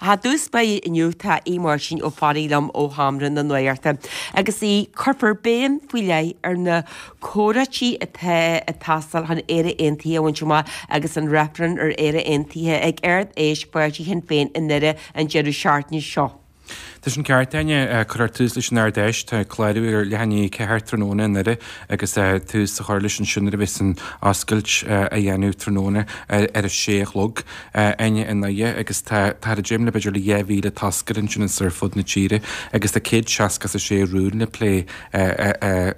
Ach i dtús báire inniu tá Aodh Máirtín Ó Fearraigh liom ó Sheomra na Nuachta agus Aodh, cuirfear béim faoi leith ar na comhráití atá ag teastáil chun Éire Aontaithe a bhaint amach agus an reifreann ar Éire Aontaithe ag Ard Fheis Pháirtí Shinn Féin i nDoire an deireadh seachtaine seo. Tá sin ceart, Áine. Cuirfear tús leis an Ard Fheis. Tá clárú ar leath i ndiaidh 4 tráthnóna i nDoire agus tús á chur leis ansin nuair a bheas an oscailt á dhéanamh tráthnóna ar a sé a chlog, Áine, i nDoire agus tá táthar ag dréim le b'fhéidir le 2,000 toscaire ansin is ar fud na tíre agus tá 166 rún le plé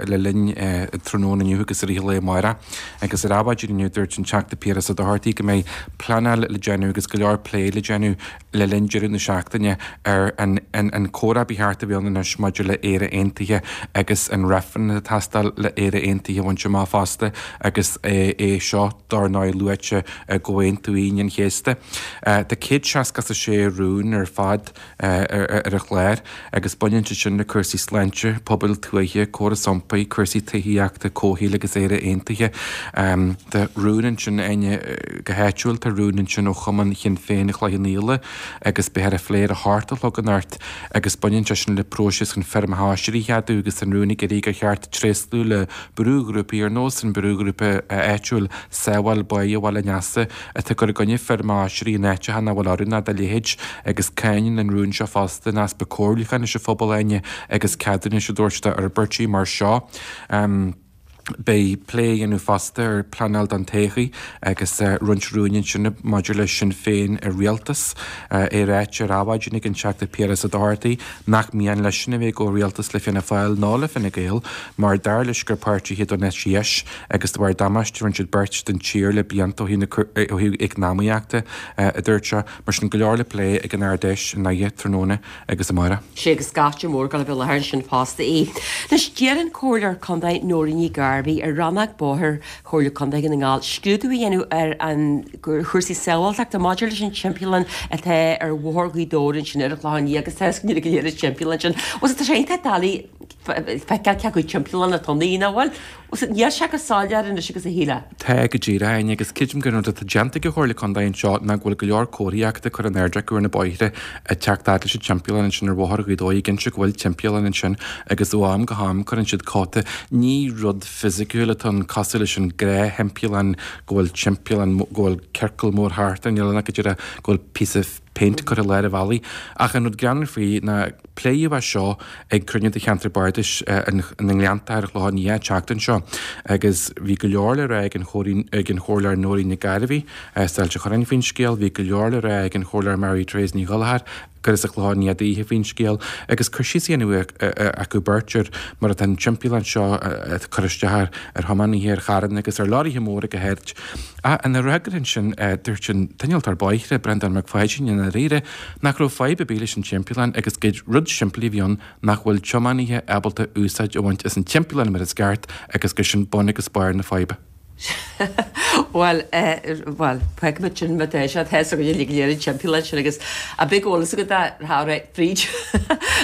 le linn tráthnóna inniu agus i rith an lae amárach. Agus ar Adhmhaidin inniu dúirt an Teachta Piaras Ó Dochartaigh go mbeidh pleanáil le déanamh agus go leor plé le déanamh le linn deireadh na seachtaine ar an comhrá ba cheart a bheith ann anois maidir le Éire Aontaithe agus an reifreann atá ag teastáil le Éire Aontaithe a bhaint amach fosta agus é seo dár ndóigh luaite i gComhaontú Aoine an Chéasta. Tá 166 rún ar fad ar an chlár agus baineann siad sin le cúrsaí sláinte, pobail tuaithe, córas iompair, cúrsaí tithíochta, comhshaoil agus Éire Aontaithe. Tá rún ansin, Áine, go háitiúil, tá rún ansin ó Chumann Shinn Féin Chloich Cheann Fhaola agus beifear á phlé ar a hocht a chlog anocht agus baineann sé sin le próiseas chun feirmeacha oisrí a cheadú agus an rún ag iarraidh gur cheart tréaslú le brúghrúpaí ar nós an brúghrúpa áitiúil Sábháil Báighe Bhaile an Easa atá ag cur i gcoinne feirmeacha oisrí in áiteacha nach bhfuil oiriúnach dá leithéid agus cáineann an rún seo fosta an easpa comhairliúcháin leis an phobal, Áine, agus ceadúnais a dtabhairt d'fhorbairtí mar seo. Beidh plé á dhéanamh fosta ar pleanáil don todhchaí agus roinnt rúin ansin maidir le Sinn Féin i rialtas. É ráite ar Adhmhaidin ag an Teachta Piaras Ó Dochartaigh nach mian leisean a bheith i gcomhrialtas le Fianna Fáil ná le Fine Gael mar dar leis gur páirtithe don eite dheis agus de bharr damáiste a rinne siad beirt don tír le blianta ó thaobh eacnamaíochta, a dúirt sé. Mar sin, go leor le plé ag an Ard-Fheis i nDoire tráthnóna agus amárach. Sea agus scata mór ag dul a bheith i láthair ansin fosta í. Anois, d'iarr an Comhairleoir Contae Nóirín Ní Ghairbhí ar Rannóg Bóthair Chomhairle Contae Dhún na nGall scrúdú a dhéanamh ar an chúrsaí sábháilteachta maidir leis an timpeallán atá ar Bhóthar Ghaoth Dobhair ansin ar an Chlochán Liath agus tá a fhios againn go léir an timpeallán sin. Bhuel, tá sé iontach doiligh feiceáil cé acu timpeallán atá ann, nach bhfuil? Níl sé go soiléir anois agus a shílfeá. Tá, go díreach, Áine, agus creidim gur an rud atá déanta ag an Chomhairle Contae anseo ná go bhfuil go leor comharthaíochta curtha in airde acu ar na bóithre ag teacht fhad leis an timpeallán ansin ar Bhóthar Ghaoth Dobhair, ag inse go bhfuil timpeallán ansin agus ó am go ham cuireann siad cóta. Ní rud fisiciúil atá ann cosúil leis an gnáth-thimpeallán go bhfuil timpeallán, go bhfuil ciorcal mór thart air, níl ann ach go díreach go bhfuil píosa péint curtha i lár an bhealaigh. Ach an rud greannmhar faoi ná pléadh é seo ag cruinniú de cheantar bardais na nGleannta ar an Chlochán Liath an tseachtain seo agus bhí go leor le rá ag an Chomhairleoir Nóirín Nic Gairbhí as Ailt an Chorráin faoin scéal, bhí go leor le rá ag an Chomhairleoir Mary Therese Ní Ghallchóir gur as an Chlochán Liath daoithe faoin scéal agus cur síos a dhéanamh acu beirt ar mar atá an timpeallán seo ag cur isteach ar thiománaithe, ar charranna agus ar leoraithe móra go háirid. Ach ina fhreagra ansin, dúirt an t-innealtóir bóithre, Breandán Mac Pháidín, i ndáiríre, nach raibh fadhb ar bith leis an timpeallán agus gur rud simplí a bhí ann nach bhfuil tiománaithe ábalta úsáid a bhaint as an timpeallán mar is ceart agus gur sin bun agus barr na faidhbe. Bhuel, bhuel, feicfimid sin má tá sé, tá a fhios againn uilig go léir an timpeallán sin agus a bheadh eolas agat dá raibh fríd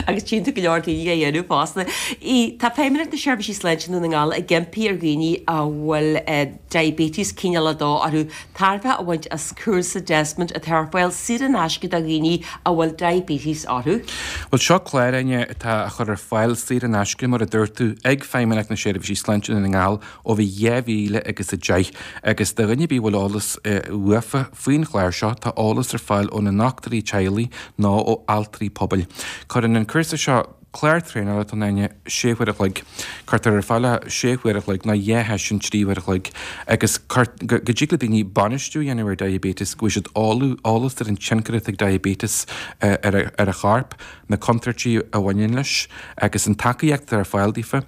agus tchíonn tú go leor daoine á dhéanamh fosta. Tá Feidhmeannacht na Seirbhísí Sláinte i nDún na nGall ag impí ar dhaoine a bhfuil diabetes cineál 2 orthu tairbhe a bhaint as cúrsa Desmond atá ar fáil saor in aisce do dhaoine a bhfuil diabetes orthu. Bhuel, seo clár, Áine, atá á chur ar fáil saor in aisce, mar a dúirt tú, ag Feidhmeannacht na Seirbhísí Sláinte i nDún na nGall ó bhí 2000 agus 10. Agus do dhuine ar bith a bhfuil eolas uafa faoin chlár seo, tá eolas ar fáil óna ndochtúirí teaghlaigh nó ó altraí pobail. Cuireann an cúrsa seo. Clár traenála atá ann, Áine, sé huaire a chloig. Cuirtear ar fáil é sé huaire a chloig nó dhá sheisiún 3 huaire a chloig agus go dtig le daoine bainistiú a dhéanamh ar diabetes, go bhfaighidh siad eolas ar an tionchar atá ag diabetes ar a chorp, na contúirtí a bhaineann leis agus an tacaíocht atá ar fáil daofa,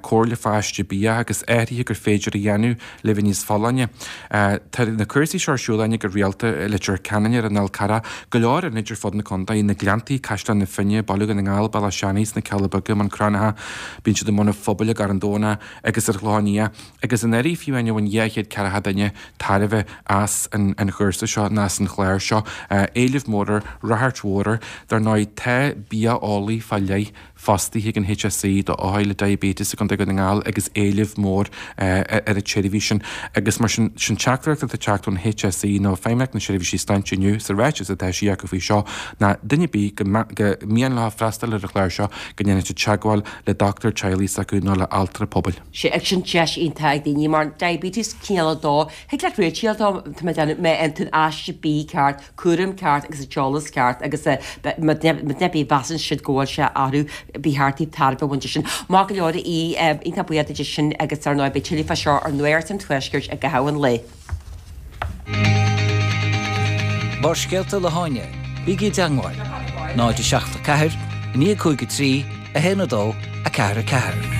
comhairle fá aiste bia agus athruithe gur féidir a dhéanamh le bheith níos folláine. Tá na cúrsaí seo ar siúl, Áine, go rialta i Leitir Ceanainn, ar an Fhál Carrach, go leor ionaid ar fud na contae, na Gleanntaí, Caisleán na Finne, Baile Dhún na nGall, Bealach Seanaidh, sna Cealla Beaga, Bun Cranncha, bíonn siad i mbun an Phobail i gCarn Domhnach agus ar an Chlochán Liath. Agus anuraidh fiú, Áine, bhain 240 duine tairbhe as an chúrsa seo nó as an chlár seo. Éileamh mór air, ráchairt mhór air. Dar ndóigh, tá bia eolaí fá leith. Fostaithe ag an HSE do othair le diabetes i gContae Dhún na nGall agus éileamh mór ar an tseirbhís sin agus mar sin, sin teachtaireacht atá ag teacht ón HSE nó Feidhmeannacht na Seirbhísí Sláinte inniu sa ráiteas atá eisithe acu faoi seo ná duine ar bith go mian leo freastal ar an chlár seo go ndéanfaidh siad teagmháil le dochtúir teaghlaigh s'acu nó le altra pobail. Sea, agus sin deis iontach ag daoine mar diabetes cineál 2, thig leat réiteach a fháil dó, tá mé ag déanamh, má fhaigheann tú an aiste bídh ceart, cúram ceart agus an t-eolas ceart agus má mheasann siad go bhfuil sé ag athrú, ba cheart daoibh tairbhe a bhaint de sin. Maith go leor a Aoidh, iontach buíoch duit as sin agus ar ndóigh beidh tuilleadh fá seo ar Nuacht an Tuaiscirt i gcaitheamh an lae. Barrscéalta le hÁine, bígí i dteangmháil, 0 7 4 9 5 3 1 2 4 4.